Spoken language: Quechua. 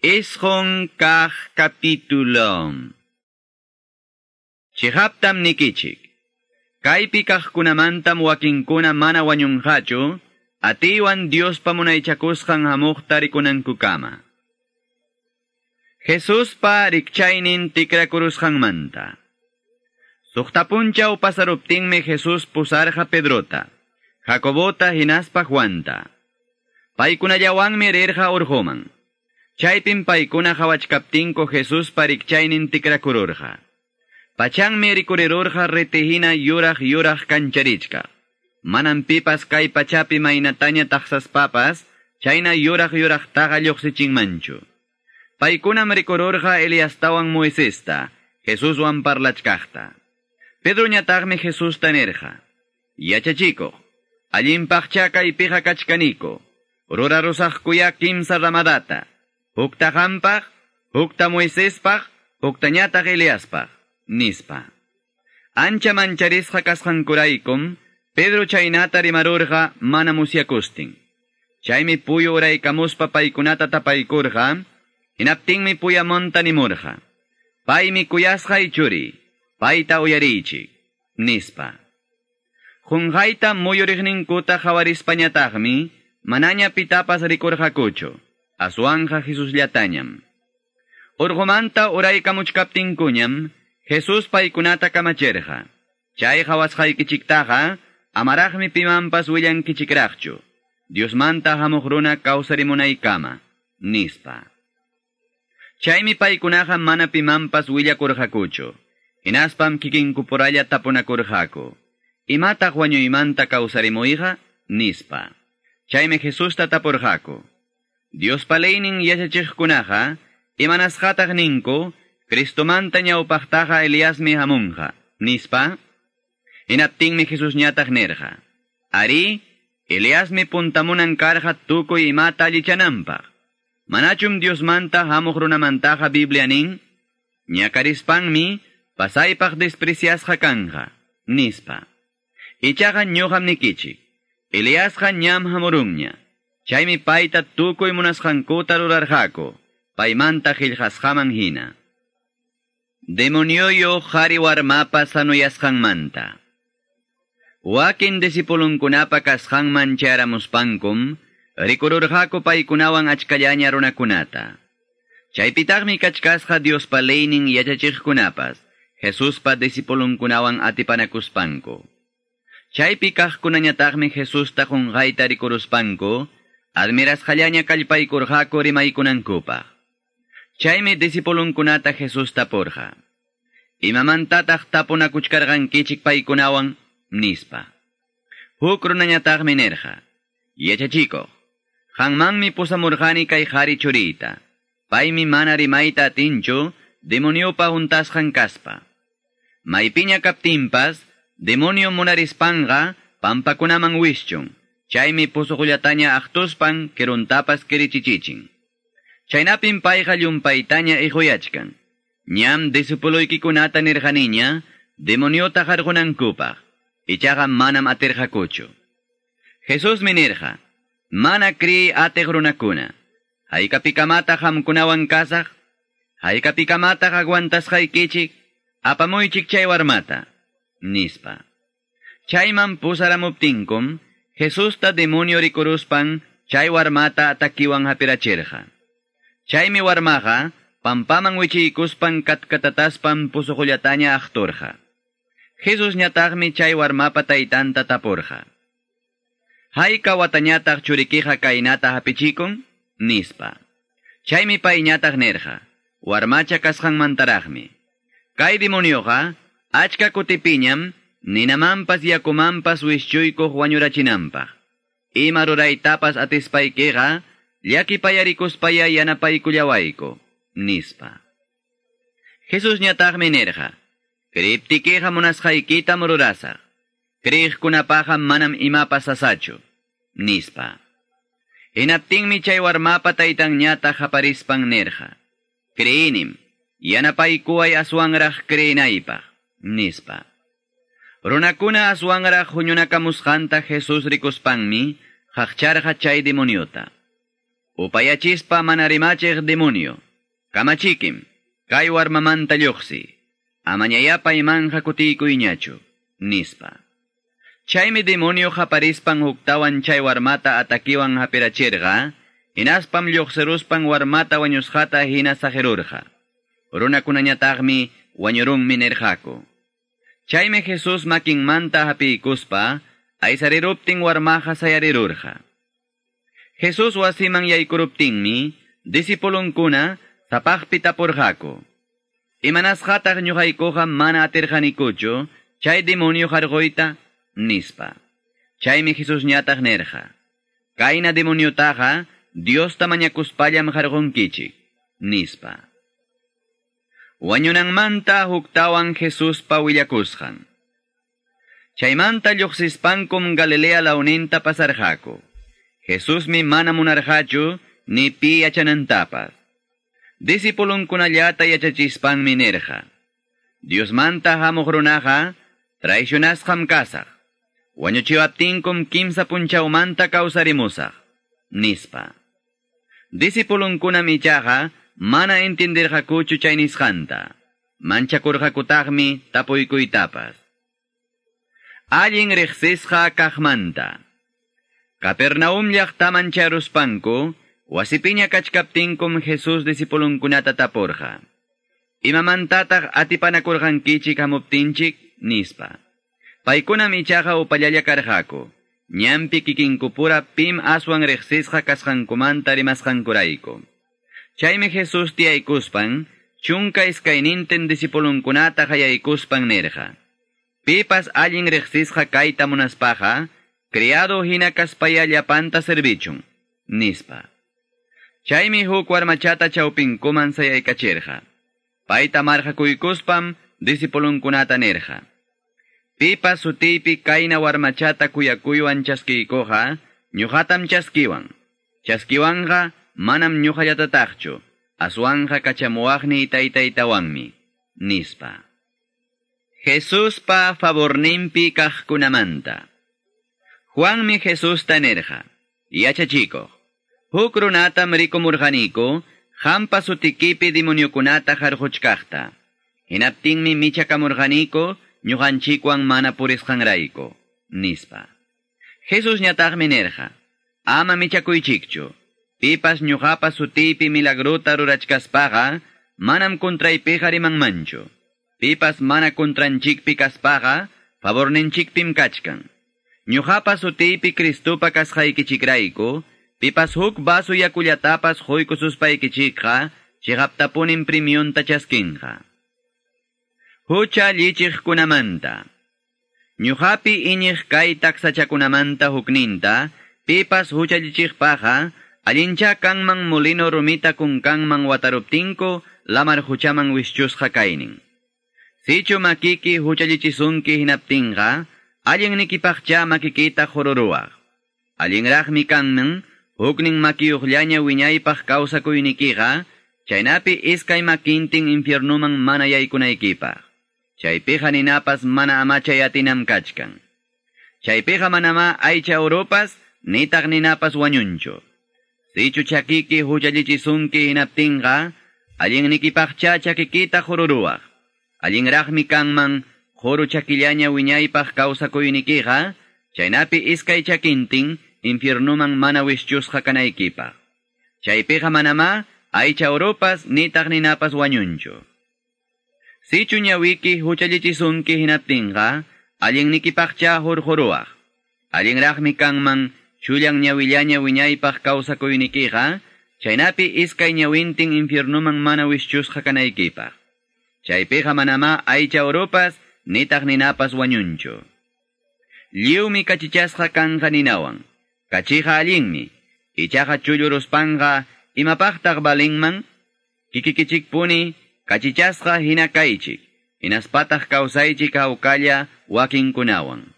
9 kaq capítulo. Chiqaptam nikichik. Kaypi kaqkunamantam wakinkuna mana wañunqachu, atiywan Diospa munaychakusqan hamuqta rikunankukama. Jesuspa rikchaynin tikrakurusqanmanta. Suqta punchaw pasaruptinmi Jesús pusarqa Pedrota, Jacobota hinaspa Juanta. Paykunallawanmi rirqa urquman. Chaypim paykuna qawachkaptinku Jesuspa rikchaynin tikrakururqa. Pachanmi rikurirurqa ritihina yuraq yuraq kancharichkaq. Manam pipas kay pachapi maynataña taqsaspapas, chayna yuraq yuraqtaqa lluqsichinmanchu. Paykunam rikururqa Eliastawan Moisesta, Jesuswan parlachkaqta. Pedroñataqmi Jesusta nirqa: "Yachachikuq, allinpaqcha kaypiqa kachkaniku, rurarusaqkuya kimsa ramadata, hukta qampaq, hukta Moisespaq, huktañataq Eliaspaq", nispa. Ancha mancharisqa kasqankuraykum, Pedro chaynata rimarurqa mana musyakustin. Chaymi puyu uraykamuspa paykunata tapaykurqa, hinaptinmi puyamonta nimurqa: "Paymi kuyasqay churiy, payta uyariychik", nispa. Qunqayta muyuriqninkuta qawarispañataqmi, manaña pitapas rikurqakuchu, aswanqa Jesusllatañam. Urqumanta uraykamuchkaptinkuñam, Jesús paykunata kamachirqa: "Chay qawasqaykichiktaqa amaraqmi pimanpas willankichikraqchu, Diosmanta hamuq runa kawsarimunaykama", nispa. Chaymi paykunaqa mana pimanpas willakurqakuchu. Hinaspam kikinkupuralla tapunakurqaku: "¿Imataq wañuymanta kawsarimuyqa?" nispa. Chaymi Jesusta tapurqaku: "Diospa leynin yachachiqkunaqa, imanasqataq ninku, Cristomanta ñawpaqtaqa Eliasmi hamunqa, nispa?" Hinaptinmi Jesusñataq nirqa: "Arí, Eliasmi puntamunan karqa tukuy imata allichananpaq. Manachum Diosmanta hamuq runamantaqa Biblia nin, ñakarispanmi pasaypaq despreciasqa kanqa, nispa. Ichaqa ñuqam nikichik, Eliasqa ñam hamurunña. Chaymi payta tukuy munasqankuta rurarqaku, paymanta qillqasqaman hina." Demonioyuq qari warmapa sanuyasqanmanta. Wakin discipulunkunapa kasqanman chayaramuspankum, rikururqaku paykunawan achkallaña runakunata. Chaypitaqmi kachkasqa Diospa leynin yachachiqkunapas, Jesuspa discipulunkunawan atipanakuspanku. Chaypi kaqkunañataqmi Jesusta qunqayta rikuruspanku, admirasqallaña kallpaykurqaku rimaykunankupaq. Chaymi discipulunkunata Jesús tapurqa: "¿Imamantataq tapunakuchkarqankichik paykunawan?" nispa. Huk runañataqmi nirqa: "Yachachikuq, qanmanmi pusamurqani kay qari churiyta. Paymi mana rimayta atinchu, demoniopa huntasqan kaspa. Maypiña kaptinpas, demonio munarispanqa pampakunaman wischun. Chaymi pusuqullataña aqtuspan kiruntapas kirichichichin. Chaynapim payqa llumpaytaña iquyachkan. Ñam discipuluykikunata nirqaniña, demoniota qarqunankupaq. Ichaqa manam atirqakuchu." Jesusmi nirqa: "Mana kriy atiq runakuna, haykapikamataq qamkunawan kasaq? Haykapikamataq aguantasqaykichik? Apamuychik chay warmata", nispa. Chayman pusaramuptinkum, Jesusta demonio rikuruspan chay warmata atakiwan hapirachirqa. Chaymi warmaqa pampaman wichiykuspan katkatataspan pusuqullataña aqturqa. Jesusñataqmi chay warmapa taytanta tapurqa: "¿Hayka watañataq churikiqa kaynata hapichikun?" nispa. Chaymi payñataq nirqa: "Warmacha kasqanmantaraqmi. Kay demonioqa achka kutipiñam ninamanpas yakumanpas wischuykuq wañurachinanpaq. Ima ruraytapas atispaykiqa llakipayarikuspaya yanapaykullawayku", nispa. Jesusñataqmi nirqa: "Creiptikiqa munasqaykitam rurasaq. Creeqkunapaqqa manam imapas sasachu", nispa. Hinaptinmi chay warmapa taytanñataq qaparispan nirqa: "Creyinim, yanapaykuway aswanraq creenaypaq", nispa. Runakuna aswanraq huñunakamusqanta Jesús rikuspanmi qaqcharqa chay demoniota. Upayachispa mana rimachiq demonio, kamachikim, kay warmamanta lluqsi, amañaya paymanja kutiykuyñachu, nispa. Chaymi demonio qaparispan huktawan chay warmata atakiwan hapirachirqa, hinaspam lluqsiruspan warmata wañusqata hina saqirurqa. Runakunañataqmi wañurunmi nirqaku. Chaymi Jesús makinmanta hapiykuspa, aysariruptin warmaqa sayarirurqa. Jesús wasiman yaykuruptinmi, disipulunkuna sapaqpi tapurqaku. Imanasqataq ñuqaykuqa mana atirqanikuchu chay demonio qarquyta, nispa. Chaymi Jesús ñataq nirqa. Kayna demoniotaqa Diosta mañakuspallam qarqunkichik, nispa. Wañunanmanta huktawan Jesuspa willakusqan. Chaymanta lluqsispankum Galilea lawninta pasarqaku. Jesusmi mana munarqachu ni pi yachanantapas. Disipulunkunallata yachachispanmi nirqa. Diosmanta hamuq runaqa traicionasqam kasaq. Wañuchiwaptinkum kimsa punchawmanta kawsarimusaq, nispa. Disipulunkunam ichaqa mana entendirqakuchu chay nisqanta. Manchakurqakutaqmi tapuykuytapas. Allin riqsisqa kaqmanta. Capernaum llaqtaman charuspanku, wasipiña kachkaptinkum Jesús disipulunkunata tapurqa. Imamantataq atipanakurqankichik hamuptinchik, nispa. Paykunam ichaqa upallalla karqaku. Ñanpi kikinkupura pim aswan riqsisqa kasqankumanta rimasqankurayku. Chaymi Jesús tiyaykuspan, 12 disipulunkunata qayaykuspan nirqa. Pipas allin riqsisqa kayta munaspaqa, criado hina kaspaya llapanta servichun, nispa. Chaymi huk warmachata chawpinkuman sayaykachirqa. Payta marqakuykuspam disipulunkunata nirqa. Pipas sutiypi kayna warmachata kuyakuywan chaskiykuqa, ñuqatam chaskiwan. Chaskiwanqa manam ñuqallatataqchu, aswanqa kachamuwaqniy taytaytawanmi, nispa. Jesuspa favorninpi kaqkunamanta. Juanmi Jesusta nirqa, yachachikuq, huk runatam rikumurqaniku, qampa sutikipi demoniokunata qarquchkaqta. Hinaptinmi michakamurqaniku, ñuqanchikwan mana purisqanrayku, nispa. Jesús ñataqmi nirqa, ama michakuychikchu, pipas ñuqapa sutiypi milagrota rurachkaspaqa, manam contraypiqa rimanmanchu. Pipas mana contranchikpi kaspaqa, favorninchikpim kachkan. Ñuqapa sutiypi Cristupa kasqaykichikrayku, pipas huk vaso yakullatapas quykususpaykichikqa, chiqaptapunim premiunta chaskinqa. Hucha lichiqkunamanta. Ñuqapi iñiq kay taksachakunamanta hukninta, pipas huchallichiqpaqa, allincha kanman molino rumita kunkanman wataruptinku, lamar huchaman wischusqa kaynin. Sichu makiki huchallichisunki hinaptinqa, allinnikipaqcha makikita qururuwaq. Allinraqmi kanman, huknin makiyuqllaña wiñaypaq kawsakuynikiqa, chaynapi iskay makintin infiernuman mana yaykunaykipaq. Chaypiqa ninapas mana amachay atinam kachkan. Chaypiqa manama aycha urupas, nitaq ninapas wañunchu. Sichu chakiki huchallichisunki hinaptinqa, allinnikipaqcha chakikita qururuwaq. Allinraqmi kanman, quru chakillaña wiñaypaq kawsakuynikiqa, chaynapi iskay chakintin infiernuman mana wischusqa kanaykipaq. Chaypiqa manama aycha urupas, nitaq ninapas wañunchu. Sichu ñawiki huchallichisunki hinaptinqa, allinnikipaqcha hurquruwaq. Allinraqmi kanman, chullan ñawillaña wiñaypaq kawsakuynikiqa, chaynapi iskay ñawintin infiernuman mana wischusqa kanaykipaq. Chaypiqa manama aycha urupas, nitaq ninapas wañunchu. Lliwmi kachichasqa kanqa ninawan. Kachiqa allinmi, ichaqa chulluruspanqa imapaqtaq balinman? Kikikichikpuni, kachichasqa hina kaychik, hinaspataq kawsaychik hawkalla wakinkunawan.